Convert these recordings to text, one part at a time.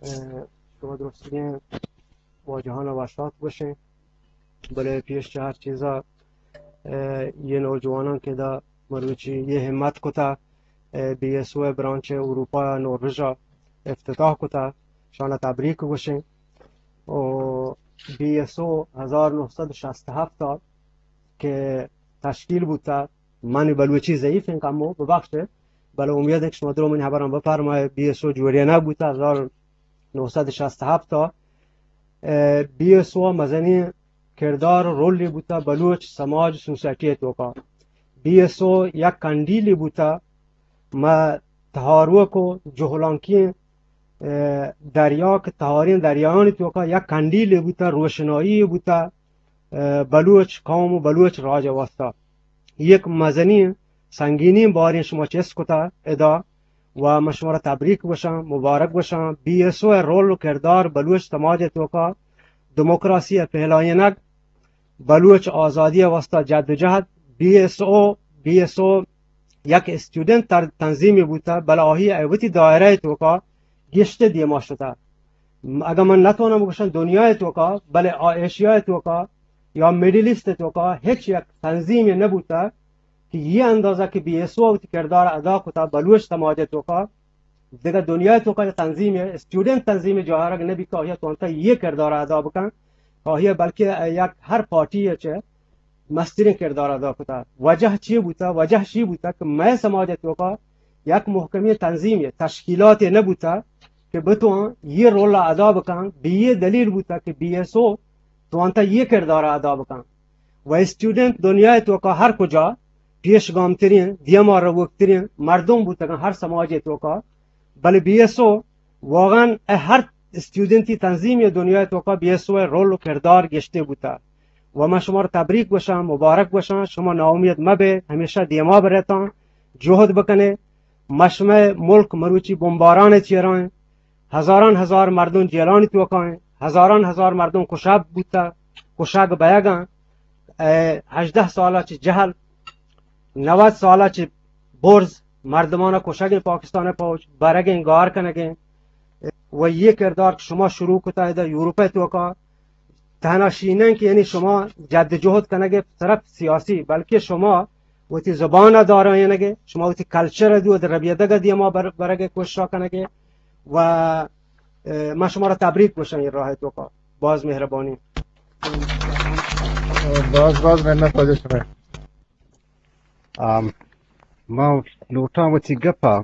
اه، شما درستگیں واجہان ءَ وشات گوشیں، بلے پیش چہ ہر چیزا، اه، یہ نوجوانان کہ دا مروچی یہ ہمت کتا، اه، بی ایس او ءِ برانچ اروپا ءَ نوربژ ءَ افتتاح کتا، شان ءَ تبریک گوشیں۔ و بی ایس او ہزار نو سد شست ہفت ءَ کہ تشکیل بوتا، من بلوچی ضعیف ہیں کمو ببخشے، بلے امید ہے کہ شما درو منی حبران بفرمائے، بی ایس او جوڑینا بوتا ہزار نو سد شست ہفت ءَ۔ اه، بی ایس او مزنی کردار و رولی بوتا بلوچ سماج سوسائٹی توکا۔ بی ایس او یک کنڈیلی بوتا، ما تہاروک و جہلانکی، اه، دریا کہ تہاریں دریانی توکا یک کنڈیلی بوتا، روشنایی بوتا، اه، بلوچ قوم و بلوچ راج واسطہ۔ یک مزنی سنگینی باریں شما چست کتا ادا و من شما را تبریک گوشاں، مبارک گوشاں۔ بی ایس او ءِ رول و کردار بلوچ سماج ءِ توکا دموکراسی ءِ پہلائینگ، بلوچ آزادی ءِ واسطہ جدوجہد، بی ایس او، بی ایس او یک اسٹوڈنٹ تر-، تنظیمی بوتا، بلے آہی ءَ وتی دائرہ ءِ توکا گیشتر دیما شتا۔ م-، اگاں من نتواناں بگوشاں دنیا ءِ توکا، بلے آ ایشیا ءِ توکا یا مڈل ایسٹ ءِ توکا ہچ یک تنظیمے نہ بوتا کہ یہ اندازہ کہ بی ایس او وتی کردار ادا کتا بلوچ سماج ءِ توکا، دگہ دنیا ءِ توکا یک تنظیمے، اسٹوڈنٹ تنظیمے جوہرگ نہ بیت کہ آہیا توانتا یہ کردار ادا بکن، آہیا بلکہ یک ہر پارٹی ءَ چہ مستریں کردار ادا کتا۔ وجہ چی بوتا؟ وجہ چی بوتا کہ مئے سماج ءِ توکا یک محکمیں تنظیمے، تشکیلاتے نہ بوتا کہ بتوان یہ رول ادا بکن، بہ یہ دلیل بوتا کہ بی ایس او توانتا یہ کردار ادا بکن۔ و اسٹوڈنٹ دنیا ءِ توکا ہر کجا پیش گامتریں، دیما روکتریں مردم بوتگن ہر سماج ءِ توکا، بلے بی ایس او واقعاً اے ہر اسٹوڈنٹی تنظیمی دنیا ءِ توکا بی ایس او ءِ رول و کردار گیشتر بوتا۔ و من شما را تبریک گوشاں، مبارک گوشاں، شما ناامید مبے، ہمیشہ دیما برتاں، جہد بکنے۔ ما شمئے ملک مروچی بمباران ءِ چیرا ایں، ہزاران ہزار مردم جیلانی توکا ایں، ہزاران ہزار مردم کشگ بوتا، کشگ بیگاں۔ اے ہژدہ سالا چہ جہل، نود سالا چہ برز، مردمانا کشگیں پاکستان ءِ پوج، برگیں، گار کنگیں۔ و یہ کردار کہ شما شروع کتا ادا یورپ ءِ توکا، تہنا شی نہ کہ یعنی شما جد جہد کنگے صرف سیاسی، بلکہ شما وتی زبان ءَ دارائینگے، شما وتی کلچر ءَ دود ربیدگ ءَ دیما بر-، برگے کوشش کنگے۔ و، اه، من شما را تبریک گوشاں یہ راہ ءِ توکا۔ باز مہربانی۔ باز باز منت واجہ شمئے۔ آم، ما لوٹاں وتی گپا،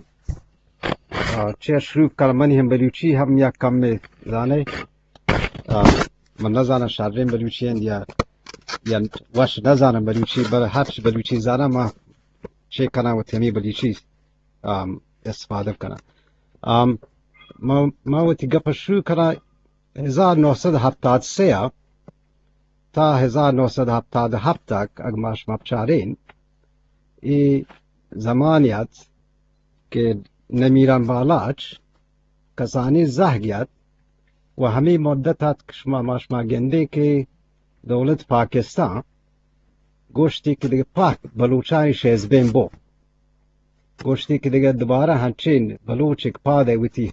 آ، چہ شروع کن، منی ہم بلوچی ہم یک کمے زانے۔ آ، من نزاناں شریں بلوچی انت یا، یا وش نزاناں بلوچی، بلے ہرچ بلوچی زاناں ما چے کناں وتی ہمے بلوچی، آم، استفادہ کناں۔ آم، ما، ما وتی گپ شروع کناں ہزار نو سد ہپتاد سے ءَ تا ہزار نو سد ہپتاد ہپت تک اگہ ما شما بچارین، اے زمانے ات کہ نمیران بالاچ کسانی زہگ ات و ہمے مدت ات کہ شما، ما شما گندے کہ دولت پاکستان گوشتی کہ دگہ پاک بلوچانی شیزبین بو، گوشتی کہ دگہ دوبارہ ہنچین بلوچ یک پادے وتی،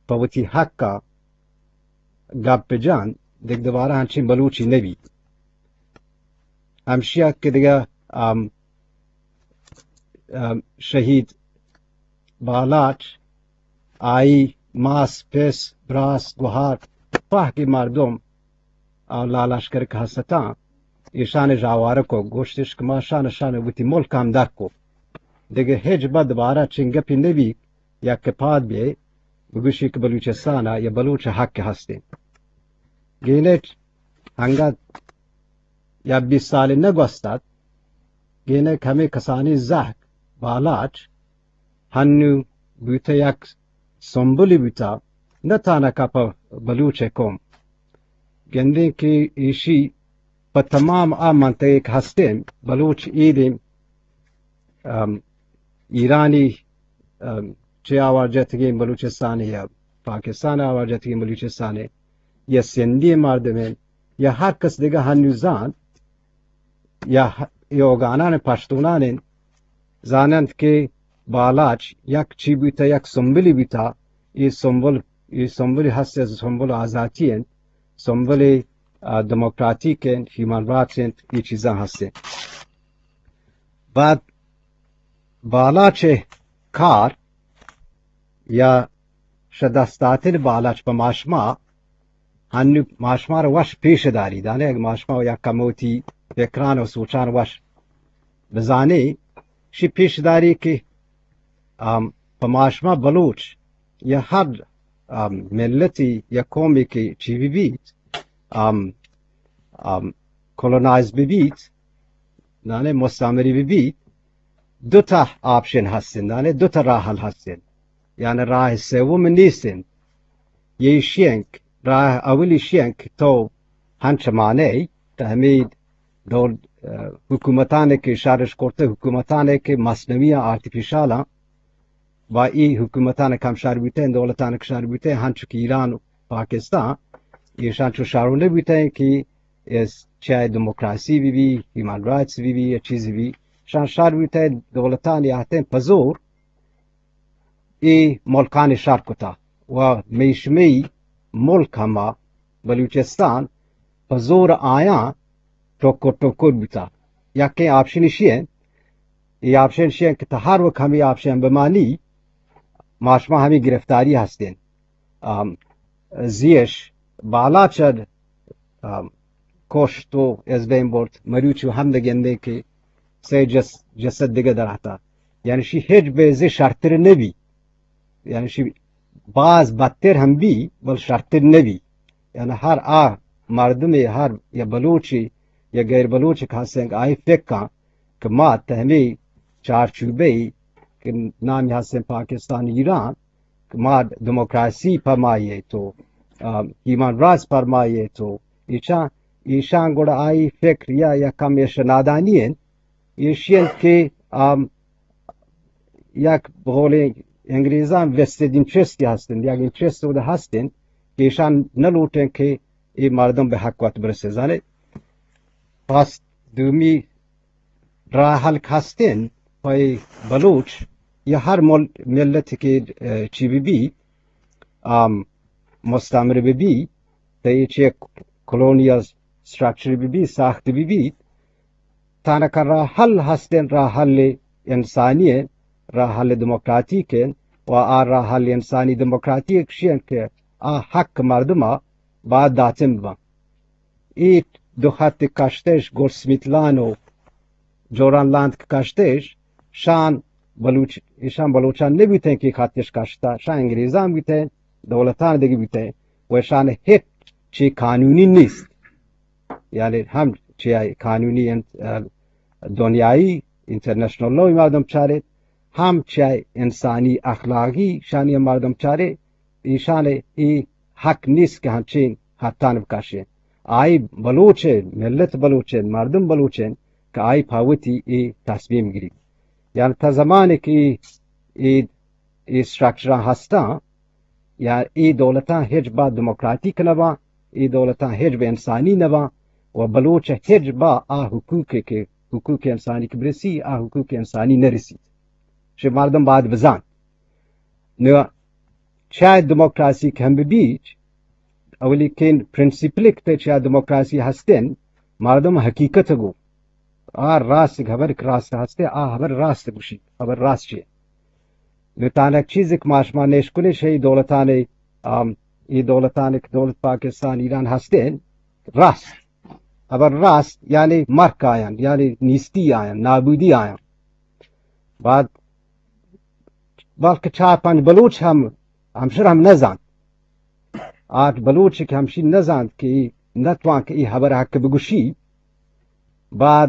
پہ وتی حقا گپ جان، دگہ دوبارہ ہنچین بلوچی نبی۔ ہمشیا کہ دگہ، آم، آم، شہید بالاچ، آئی ماس، پس، براس، گوہار، پہکی مردم، آ، لالشکر کہ ہستاں، ایشان جاوار کو، گوشتش کہ ما شان، شان وتی ملک ہم در کو۔ دگہ ہچ بد دوبارہ چنگپی نبی، یک کہ پاد بیئے، بگوشی کہ بلوچستان ءَ یا بلوچ حق ہستیں۔ گینٹ ہنگت یا بیست سال نہ گوستت، گینٹ ہمے کسانی زہگ بالاچ ہنو بوتہ یک سمبلی بوتہ، نہ تانکہ پہ بلوچ قوم۔ گندیں کہ ایشی پہ تمام آ منطقہ کہ ہستیں بلوچ ایدیں، ام، ایرانی، ام، چہ آوار جتگیں بلوچستان یا پاکستان آوار جتگیں بلوچستان یا سندھی مردمیں یا ہر کس دگہ ہنو زانت یا ہ-، اے اوگانان پشتونان انت، زاننت کہ بالاچ یک چی بوتہ، یک سمبلی بوتہ، اے سمبل اے سمبل ہست، سمبل آزاتی انت، سمبل، آ، دموکراتیک انت، ہیومن رائٹس انت، اے چیزاں ہست انت۔ بعد بالاچ کار یا شہ دست داتن بالاچ پہ ماشما، ہنو ماشما را وش پیش داری، دانے اگہ ماشما یا کموتی فکران و سوچان وش بزانے، شی پیش داری کہ، آم، پہ ماشما بلوچ یا ہر، آم، ملتی یا قومی کہ چی بی بیت، آم، آم، کولونائز بی بیت، دانے مستعمری بی بیت، دو تا آپشن ہستن، دانے دو تا راہ حل ہستن، یعنی راہ سوم نیستن۔ یہ شینک، راہ اولی شینک تو ہنچ مانے تحمید دول، آ، حکومتانے کہ شارش کرتے، حکومتانے کہ مصنوعی آرتیفیشال با ای حکومتان کم شر بوتیں، دولتان کہ شر بوتیں، ہنچو کہ ایران و پاکستان، ایشان چو شر نہ بوتیں کہ اس چاہے دموکراسی بی بی، ہیومن رائٹس بی بی، یا چیزی بی، شان شر بوتیں دولتان یا ہتیں پزور ای ملکان شر کتا و میشمی ملک ہما بلوچستان پزور آیاں ٹکر ٹکر بوتا۔ یکیں آپشن ایشی انت، اے آپشن ایشی انت کہ تہ ہر وقت ہمے آپشن بمانی، ما شما ہمے گرفتاری ہستیں۔ آم، زیش بالاچ، آم، کشت و از بین برت، مروچی ہم نگندیں کہ سے جس-، جسد دگہ درہتا۔ یعنی شی ہچ بیزے شرتر نبی۔ یعنی شی باز بدتر ہم بی، بل شرتر نبی۔ یعنی ہر آ مردمے، ہر یا بلوچے یا غیر بلوچے کہ ہستیں کہ آئی فکر کن کہ ما تہ ہمے چارچوبے کہ نامی ہستیں پاکستان ایران، کہ ما دموکراسی پرمائیے تو، آ، ہیومن رائٹس پرمائیے تو، ایشان، ایشان گڑا آئی فکر یا، یا کم ایش نادانی انت، ایشی انت کہ، آ، یک بقول انگریزان ویسٹڈ انٹرسٹ ہستن، یک انٹرسٹ اود ہستن کہ ایشان نہ لوٹیں کہ اے مردم بہ حق وت برسے۔ زانے پس دومی راہ حل ہستن پہ بلوچ یا ہر مل-، ملت کہ، اے، چی بی بی، آم، مستعمر بی بی، تہ اے چہ کلونیل سٹرکچر بی بی، ساخت بی بی، تانکہ راہ حل ہستیں، راہ حل انسانی انت، راہ حل دموکراتیک انت و آ راہ حل انسانی دموکراتیک شی انت کہ آ حق مردم ء باید داتن ببن۔ اے دو خط کشتش، گولڈ سمیت لان و جوران لان کشتش، شان بلوچ، ایشان بلوچان نبوتیں کہ خطش کشتا، شان انگریزان بوتیں، دولتان دگہ بوتیں و شان ہچ چی قانونی نیست۔ یعنی ہم چہ قانونی انت-، دنیائی انٹرنیشنل لا مردم چارت، ہم چہ انسانی اخلاقی شانی مردم چارت، ایشان ای حق نیست کہ ہنچین حتان بکشیں۔ آئی بلوچ ملت بلوچ، مردم بلوچ کہ آئی پاوتی ای تصمیم گری۔ یعنی تا زمانے کہ ای، ای، ای سٹرکچر ہستاں، یا ای دولتاں ہچ با دموکراتیک نہ باں، ای دولتاں ہچ با انسانی نہ باں و بلوچ ہچ با آ حقوق کہ حقوق انسانی کہ برسی، آ حقوق انسانی نہ رسیت۔ شی مردم باید بزان۔ نو چاہے دموکراسی کہ ہم ببیت، اولی کین پرنسپل کہ چاہے دموکراسی ہستن، مردم حقیقت گو آ راست، خبر کہ راست ہستے، آ خبر راست گوشی، خبر راست چیے۔ نو تانک چیز کہ ما شما نشکنی شی دولتان، آم، ای دولتان کہ دولت پاکستان، ایران ہستین، راست۔ خبر راست، یعنی مرک آیان، یعنی نیستی آیان، نابودی آیان۔ بعد بلکہ چار پنج بلوچ ہم، ہمشر ہم نزانت۔ آٹھ بلوچ کہ ہمشی نزانت کہ ای نتوان کہ ای خبر حق بگوشی۔ بعد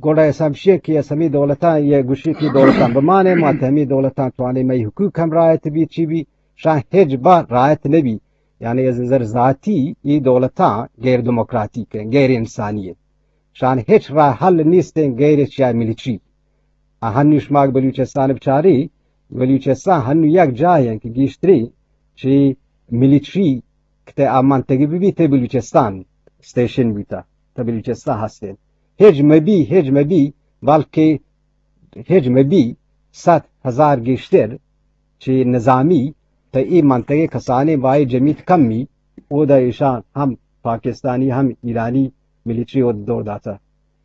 گڑا اس ہمشی کہ اس ہمی دولتاں یہ گوشی کہ دولتاں بمانے، ما تہ ہمی دولتاں توانی مئی حقوق ہم رعایت بی، چی بی، شان ہچ با رعایت نبی۔ یعنی از نظر ذاتی ای دولتاں غیر دموکراتیک ہیں، غیر انسانی ہیں۔ شان ہچ راہ حل نیستیں غیر چیا ملیٹری۔ آ ہنو شما بلوچستان بچاری، بلوچستان ہنو یک جاہے کہ گیشتری چی ملیٹری کہ تہ آ منطقہ بی بی تہ بلوچستان اسٹیشن بیتا، تہ بلوچستان ہستیں۔ ہچ مبی، ہچ مبی، بلکہ ہچ مبی، صد ہزار گیشتر چی نظامی تہ اے منطقہ کسانیں بائی جمیت کمی، اودا ایشان ہم پاکستانی ہم ایرانی ملیٹری اود دور داتا،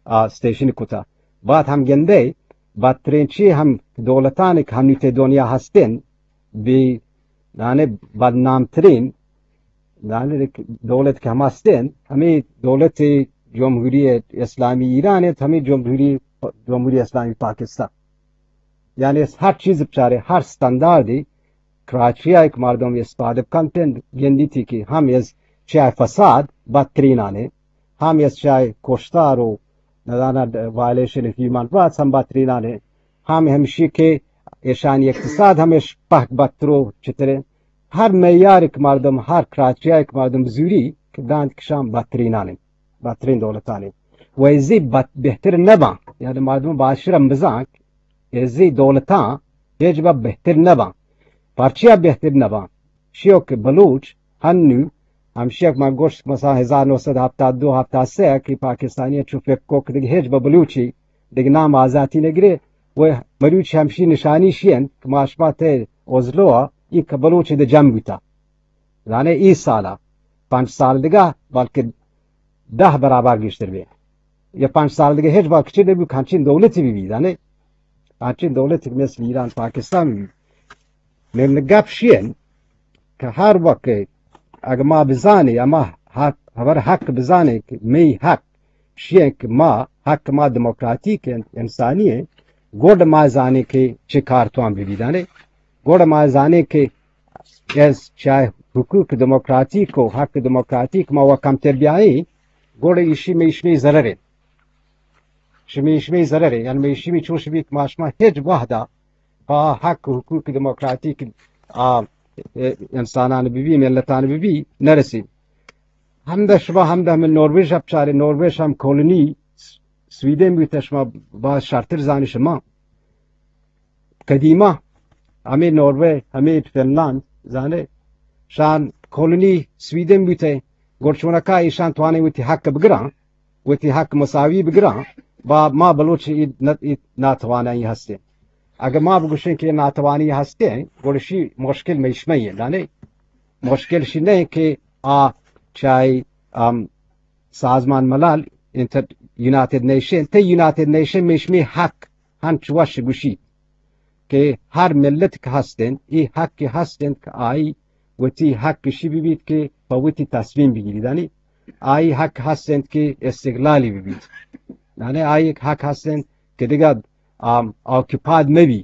آ، اسٹیشن کتا۔ بات ہم گندے، بدترین چی ہم دولتان کہ ہم نیتے دنیا ہستن، بی، یعنی بدنام ترین، یعنی دولت کہ ہم ہستن، ہمیں دولت جمہوری اسلامی ایران ہے، ہمیں جمہوری، جمہوری اسلامی پاکستان۔ یعنی ہر چیز بچارے، ہر استانداردی، کراچی ءَ یک مردم استفادہ کنت انت، گندیتی کہ ہم از چہ فساد بدترینانے، ہم از چہ کشتار و نزاناں وائلیشن آف ہیومن رائٹس ہم بدترینانے، ہم ہمشی کہ ایشانی اقتصاد ہمیش پہک بدتر و چترے۔ ہر معیار یک مردم، ہر کراچی ءَ یک مردم زوری کہ دانت کشان بدترینانے، بدترین دولتانے۔ و ازی بد-، بہتر نباں، یعنی مردم باشرم بزانک ازی دولتاں ہچ بہ بہتر نباں۔ پرچیا بہتر نباں؟ شیو کہ بلوچ ہنو ہمشی یک من گوشت، مثلاً ہزار نو سد ہفتاد دو ہفتاد سہ کہ پاکستانی چو فکر کو کہ دگہ ہچ بہ بلوچی دگہ نام آزاتی نگرے، و مروچی ہمشی نشانی شی انت کہ ما شما تے اوزلو ای کہ بلوچ دے جم بوتا۔ زانے ای سالا، پنچ سال دگہ، بلکہ دہ برابر گیشتر بی۔ یا پنچ سال دگہ ہچ وقت چی نبی، ہنچین دولتی بی بی، زانے؟ ہنچین دولتی مثل ایران، پاکستان بی بی۔ من گپ شین کہ ہر وقت اگہ ما بزانے، اما حق، ہبر حق بزانے کہ می حق شین کہ ما، حق ما دموکراتیک انت، انسانی انت، گڈ ما زانے کہ چہ کار توان بی بی، زانے؟ گڈ ما زانے کہ از چہ حقوق دموکراتیک و حق دموکراتیک ما و کمتر بیائیں، گڈ ایشی می شمی ضرر انت۔ شمی شمی ضرر انت، یعنی می شمی چوش بیت، ما شما ہچ وحدا پہ حق و حقوق دموکراتیک آ، انسانان بی بی، ملتان بی بی، نرسیم۔ ہمدا شما ہمدا ہمے نرویج ءَ بچارے، نرویج ہم کولونی سویڈن بوتہ، شما باز شرتر زانی شما۔ قدیما ہمے نرویج، ہمے فنلند، زانے، شان کولونی سویڈن بوتہ، گڑ چونکا ایشان توانیں وتی حق بگراں، وتی حق مساوی بگراں، با ما بلوچ ای نت-، ای ناتوانائی ہستیں۔ اگہ ما بگوشیں کہ ناتوانی ہستیں، گڑ شی مشکل میشمئی ہے، دانے؟ مشکل شی نہیں کہ آ چاہے، ام، سازمان ملل، انٹر-، یونائیٹڈ نیشن، تے یونائیٹڈ نیشن میشمی حق ہنچ وش گوشی کہ ہر ملت کہ ہستن، ای حق کہ ہستن کہ آئی وتی حق شی ببیت کہ پہ وتی تصمیم بگیری، دانی؟ آئی حق ہستن کہ استقلالی ببیت، دانی؟ آئی حق ہستن کہ دگہ، آم، آکوپائیڈ مبی۔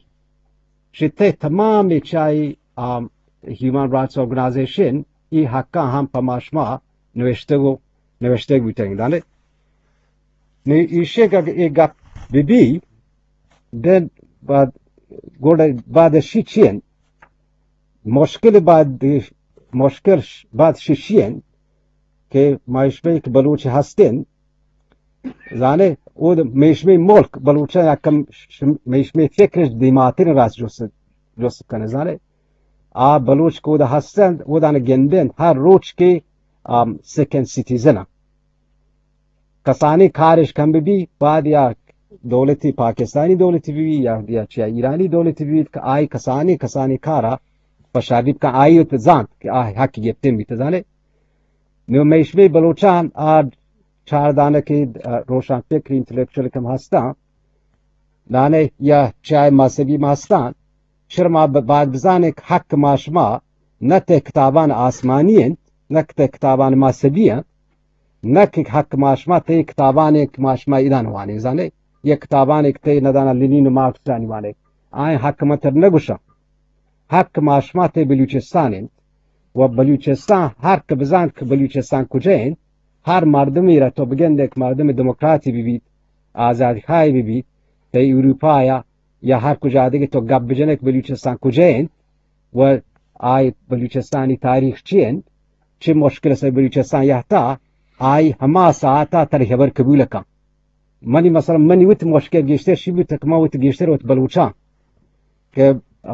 شتے تمام چاہی، آم، ہیومن رائٹس آرگنائزیشن ای حقاں ہم پہ ما شما نوشتگ و نوشتگ بوتگ، دانے؟ نی ایشی کہ اگہ اے گپ ببی، دن بعد، گوڑ بعد شی چین؟ مشکل بعد، مشکل ش-، بعد شی چین کہ ما اشبه کہ بلوچ ہستین، زانے، او د-، میشمی ملک بلوچاں یکم ش-، میشمی فکرش دیماتر راست جست، جست کنے، زانے۔ آ بلوچ کہ اودا ہستند، اودان گندند، ہر روچ کہ، آم، سیکنڈ سیٹیزن ہ۔ کسانی کارش کم بی، بعد یا دولتی، پاکستانی دولتی بی، یا، یا چیا ایرانی دولتی بی، کہ آئی کسانی، کسانی کارا پشاری بکن، آئی ات زانت کہ آ حق گپتن بیت، زانے۔ نو میشمی بلوچان آ چار دانہ کہ، آ، روشن فکر، انٹلیکچوئل کم ہستاں، دانے یا چاہے مذہبی ما ہستاں، شر ما ب-، باید بزانے کہ حق ما شما نہ تے کتابان آسمانی انت، نہ تے کتابان مذہبی انت، نہ کہ حق ما شما تے کتابانے کہ ما شما ایدان وانیں، زانے، یا کتابانے کہ تے ندانا لینین و مارکسانی وانیں۔ آئیں حق ما تر نگوشاں۔ حق ما شما تے بلوچستان انت و بلوچستان ہر کہ بزانت کہ بلوچستان کجا انت، ہر مردمی را تو بگندے کہ مردم دموکراتی ببیت، آزادی خواہی ببیت، تئی اروپا یا، یا ہر کجا دگہ تو گپ بجنے کہ بلوچستان کجا انت و آئی بلوچستانی تاریخ چی انت، چی مشکل سے بلوچستان یہتا، آئی ہما ساعتا تر خبر قبول کن۔ منی مثلاً منی وت مشکل گیشتر شی بوت کہ ما وت گیشتر وت بلوچاں کہ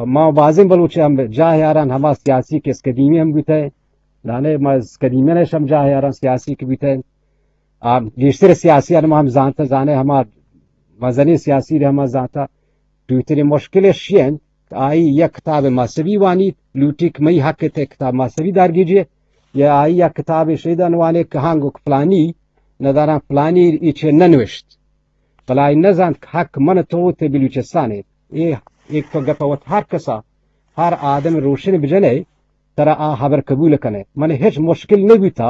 ما بازیں بلوچ ہم جاہ یاران ہما سیاسی کہ اسکدیمی ہم بوتہ، دانے ما اسکدیمی نش ہم جاہ یاران سیاسی کہ بوتہ۔ آ، گیشتر سیاسی ہم، ہم زانتہ، زانے ہما مزنی سیاسی رہ ہما زانتہ۔ دوتری مشکل شی انت آئی یک کتاب مذہبی وانیت، لوٹی کہ مئی حق تے کتاب مذہبی دارگیجے، یا آئی یک کتاب شیدان وانے کہ ہاں گو پلانی نداران پلانی ایچے ننوشت، بلے آئی نزانت کہ حق من تو تے بلوچستان اے۔ اے ایک تو گپ وت ہر کسا، ہر آدم روشن بجنے، ترا آ حبر قبول کنے۔ من ہچ مشکل نہ بوتا،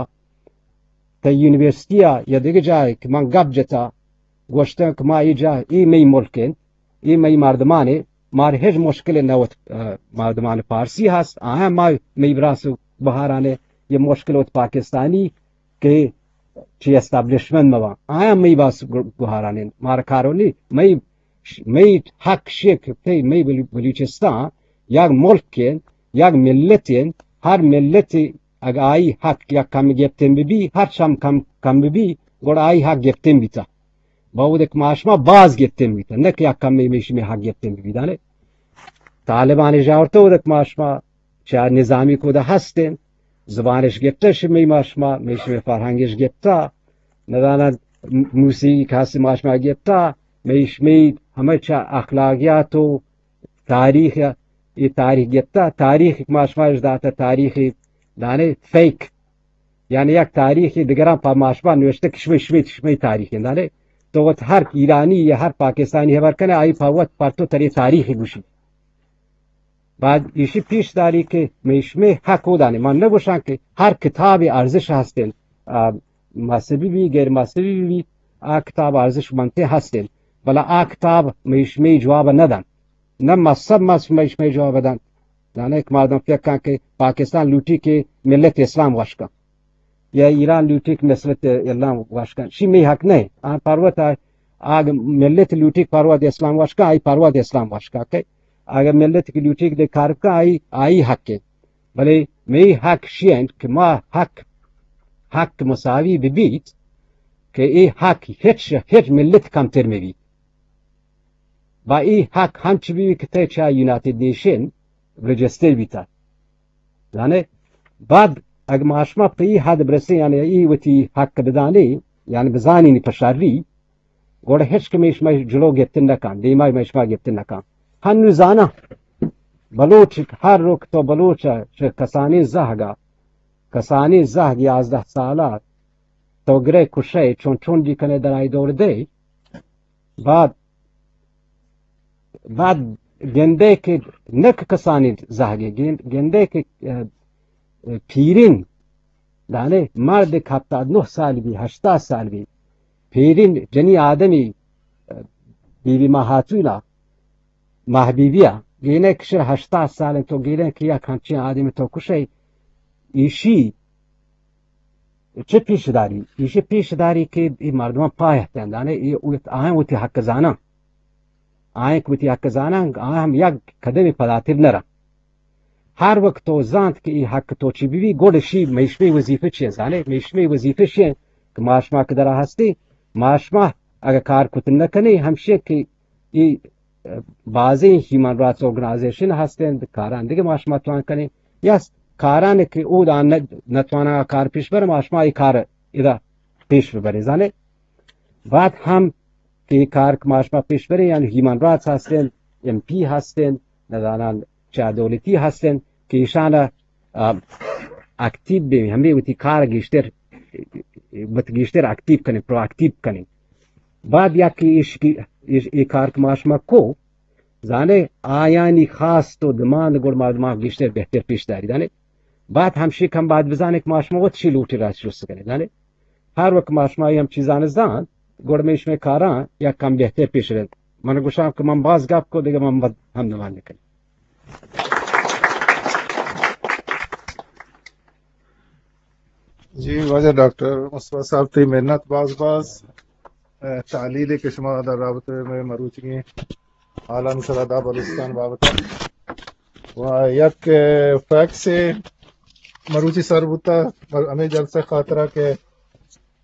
تہ یونیورسٹی ء یا دگہ جاہے کہ من گپ جتا، گوشتن کہ ما اے جاہ، اے مئی ملک انت، اے مئی مردمان انت، مارا ہچ مشکل نہ وت، ء، مردمان پارسی ہست، آیاں ما مئی براس گوہاران، یہ مشکل وت پاکستانی کہ چی اسٹیبلشمنٹ مبان، آیاں مئی باس گوہاران انت، مارا کارونی، مئی مئی حق شیک تے مئی بلو-، بلوچستان یک ملک انت، یک ملت انت، ہر ملت اگہ آئی حق یک کم گپتن ببی، ہر چم کم، کم ببی، گڑا آئی حق گپتن بیتا۔ باود کہ ما شما باز گپتن بیتا، نہ کہ یک کم مئی شمی حق گپتن ببی دانے۔ طالبان جاورتو دک ما شما چہ نظامی کودا ہستیں، زبانش گپتہ شمی ما شما، مئی شمی فرہنگش گپتہ، ندانہ موسیقی کسی ما شما گپتہ، مئی شمی ہمے چہ اخلاقیات و تاریخ، یہ تاریخ گپتہ، تاریخ ما شما اش داتہ، تاریخ دانے فیک، یعنی یک تاریخ دگران پہ ما شما نوشتہ کہ شمی، شمی، شمی تاریخ دانے۔ تو وت ہر ایرانی یا ہر پاکستانی خبر کنے، آئی پہ وت پر تو تری تاریخ گوشی۔ بعد ایشی پیش داری کہ مئی شمی حق و دانے۔ من نگوشاں کہ ہر کتاب ارزش ہستن، آ، مذہبی بی، غیر مذہبی بی، آ کتاب ارزش منتے ہستن۔ بلے آ کتاب مئی شمی جواب ندن۔ نہ مذہب مس-، مئی شمی جواب دن۔ دانے کہ مردم فکر کن کہ پاکستان لوٹی کہ ملت اسلام وش کن۔ یا ایران لوٹی کہ ملت اسلام وش کن۔ شی مئی حق نہ۔ آ پروت آ، آگ ملت لوٹی کہ پروت اسلام وش کن، آئی پروت اسلام وش کن۔ کہ اگر ملت کی لوٹی کہ دے کار کن، آئی، آئی حق ہے۔ بلے مئی حق شی انت کہ ما حق، حق مساوی ببیت کہ اے حق ہچ، ہچ ملت کمتر مبیت۔ با اے حق ہنچ بی کہ تہ چہ یونائیٹڈ نیشن رجسٹر بیتا۔ زانے؟ بعد اگہ ما شما پہ اے حد برسیں، یعنی اے وتی حق بدانے، یعنی بزانینی پہ شری، گڑا ہچ کہ مئی شما جلو گپتن نکن، دیما مئی شما گپتن نکن۔ ہنو زاناں، بلوچ ہر رک تو بلوچ چہ کسانیں زہگا، کسانیں زہگ یازدہ سالہ تو گرے کشے، چون چون دی کنے در آئی دور دے۔ بعد، بعد گندے کہ نک کسانی زہگے گند-، گندے کہ، اه، اه، پیرین دانے مرد کہ ہپتاد نہ سال بی، ہشتاد سال بی، پیرین جنی آدمی، اه، بی بی ماہاتونا، ماہ بی بیا، گینے کہ شر ہشتاد سال تو گینے کہ یک ہمچین آدمی تو کشے، ایشی چہ پیش داری؟ ایشی پیش داری کہ اے مردمان پاہ ہتن دانے، اے وت-، آیاں وتی حق زاناں۔ آیاں کہ وتی حق زاناں، آیاں ہم یک قدمی پداتر نرن۔ ہر وقت تو زانت کہ اے حق تو چی بی، گڑ شی مئی شمی وظیفہ چی زانے، مئی شمی وظیفہ چی کہ ما شما کہ درا ہستی، ما شما اگہ کار کت نکنی، ہمشی کہ اے، اه، بازیں ہیومن رائٹس آرگنائزیشن ہستیں، کاران دیگہ ما شما توان کنیں، یا کاران کہ او دان نہ-، نتوانا کار پیش بر، ما شما اے کار ادا پیش ببریں، زانے؟ بعد ہم کہ اے کار کہ ما شما پیش بریں، یعنی ہیومن رائٹس ہستیں، ایم پی ہستیں، نزانان چہ دولتی ہستیں کہ ایشان ء، آ، اکتیو بہ، ہمے وتی کار گیشتر، وت گیشتر اکتیو کنیں، پرو اکتیو کنیں۔ بعد یک کہ ایش کی، ایش، اے کار کہ ما شما کو، زانے آیانی خواست و دماند گڑ ما، ما گیشتر بہتر پیش داری، زانے۔ بعد ہمشی کم بعد بزانے کہ ما شما وت شی لوٹی راست جست کنیں، زانے۔ ہر وقت ما شما ہم چیزان زان، گڑ مئی شمے کاراں یک کم بہتر پیش رند۔ من گوشاں کہ من باز گپ کو، دیگہ من بد ہم نمان نکنی۔ جی، واجہ ڈاکٹر مصطفی صاحب، تئی منت باز باز۔ اه، تحلیل کہ شما در رابطہ میں مروچگیں حالانی سرا دا بلوچستان بابت۔ و یک، اه، فیکس مروچی سر بوتا، ہمیں جلسہ خاطرہ کہ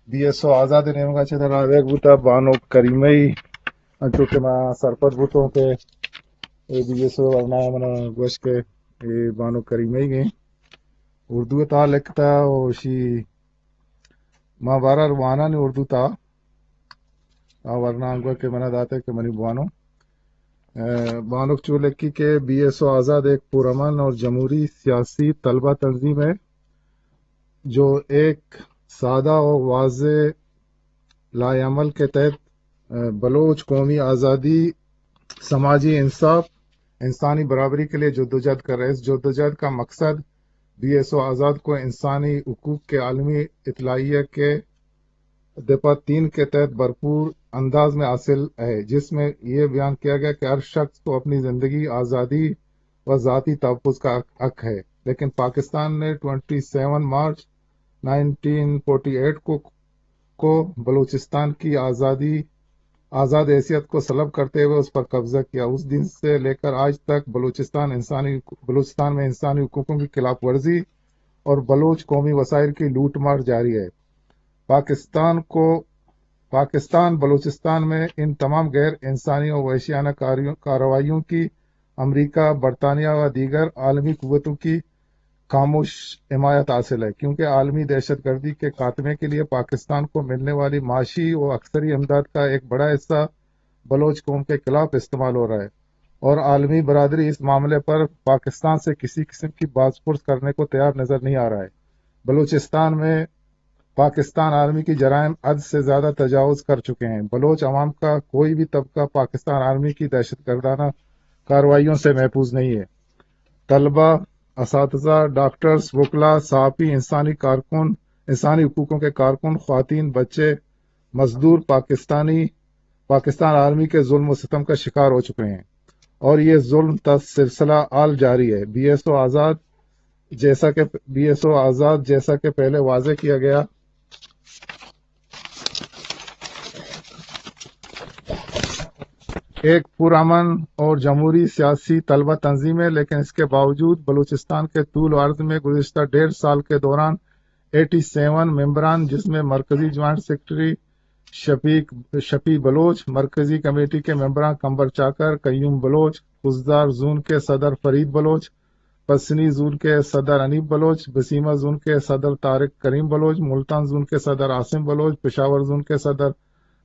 بی ایس او آزاد نیمگا چہ در آویگ بوتا، بانک کریمئی، انچو کہ ما سرپد بوتوں کہ اے بی ایس او ورنا منا گوش کہ اے بانک کریمئی گئے۔ اردو تا لکھتا و شی ما بارا وانانی اردو تا آ ورنا انگو کہ منا داتے کہ منی بوانو۔ بانک چولکی کہ بی ایس او آزاد ایک پرامن اور جمہوری سیاسی طلبہ تنظیم ہے جو ایک سادہ اور واضح لائحہ عمل کے تحت بلوچ قومی آزادی، سماجی انصاف، انسانی برابری کے لیے جدوجہد کر رہے ہیں۔ اس جدوجہد کا مقصد بی ایس او آزاد کو انسانی حقوق کے عالمی اطلاعیہ کے دفعہ تین کے تحت بھرپور انداز میں حاصل ہے، جس میں یہ بیان کیا گیا کہ ہر شخص کو اپنی زندگی، آزادی و ذاتی تحفظ کا حق ہے، لیکن پاکستان نے ٹوئنٹی سیون مارچ نائنٹین فورٹی ایٹ کو کو بلوچستان کی آزادی، آزاد حیثیت کو سلب کرتے ہوئے اس پر قبضہ کیا۔ اس دن سے لے کر آج تک بلوچستان انسانی بلوچستان میں انسانی حقوقوں کی خلاف ورزی اور بلوچ قومی وسائل کی لوٹ مار جاری ہے۔ پاکستان کو پاکستان بلوچستان میں ان تمام غیر انسانی اور وحشیانہ کاریوں کارروائیوں کی امریکہ، برطانیہ و دیگر عالمی قوتوں کی خاموش حمایت حاصل ہے، کیونکہ عالمی دہشت گردی کے خاتمے کے لیے پاکستان کو ملنے والی معاشی و اکثری امداد کا ایک بڑا حصہ بلوچ قوم کے خلاف استعمال ہو رہا ہے اور عالمی برادری اس معاملے پر پاکستان سے کسی قسم کی باز پرس کرنے کو تیار نظر نہیں آ رہا ہے۔ بلوچستان میں پاکستان آرمی کی جرائم حد سے زیادہ تجاوز کر چکے ہیں۔ بلوچ عوام کا کوئی بھی طبقہ پاکستان آرمی کی دہشت گردانہ کارروائیوں سے محفوظ نہیں ہے۔ طلبہ، اساتذہ، ڈاکٹرز، وکلا، صحافی، انسانی کارکن، انسانی حقوقوں کے کارکن، خواتین، بچے، مزدور پاکستانی پاکستان آرمی کے ظلم و ستم کا شکار ہو چکے ہیں اور یہ ظلم تا سلسلہ حال جاری ہے۔ بی ایس او آزاد جیسا کہ بی ایس او آزاد جیسا کہ پہلے واضح کیا گیا، ایک پرامن اور جمہوری سیاسی طلبہ تنظیم ہے، لیکن اس کے باوجود بلوچستان کے طول و عرض میں گزشتہ ڈیڑھ سال کے دوران ایٹی سیون ممبران، جس میں مرکزی جوائنٹ سیکرٹری شفیق شفیع بلوچ، مرکزی کمیٹی کے ممبران قمبر چاکر، قیوم بلوچ، خضدار زون کے صدر فرید بلوچ، پسنی زون کے صدر حنیف بلوچ، بسیمہ زون کے صدر طارق کریم بلوچ، ملتان زون کے صدر عاصم بلوچ، پشاور زون کے صدر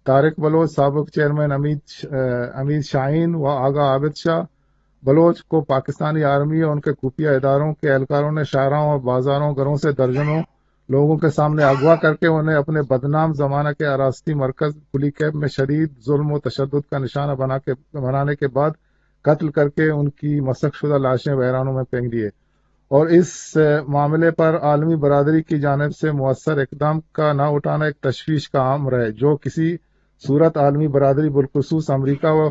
طارق بلوچ، سابق چیئرمین حمید ش-، اے، حمید شاہین و آغا عابد شاہ بلوچ کو پاکستانی آرمی اور ان کے خفیہ اداروں کے اہلکاروں نے شاہراہوں اور بازاروں، گھروں سے درجنوں لوگوں کے سامنے اغوا کر کے انہیں اپنے بدنام زمانہ کے آراستی مرکز پلی کیمپ میں شدید ظلم و تشدد کا نشانہ بنا کے، بنانے کے بعد قتل کر کے ان کی مسخ شدہ لاشیں ویرانوں میں پھینک دیے اور اس، اے، معاملے پر عالمی برادری کی جانب سے مؤثر اقدام کا نہ اٹھانا ایک تشویش کا امر ہے، جو کسی صورت عالمی برادری بالخصوص امریکہ و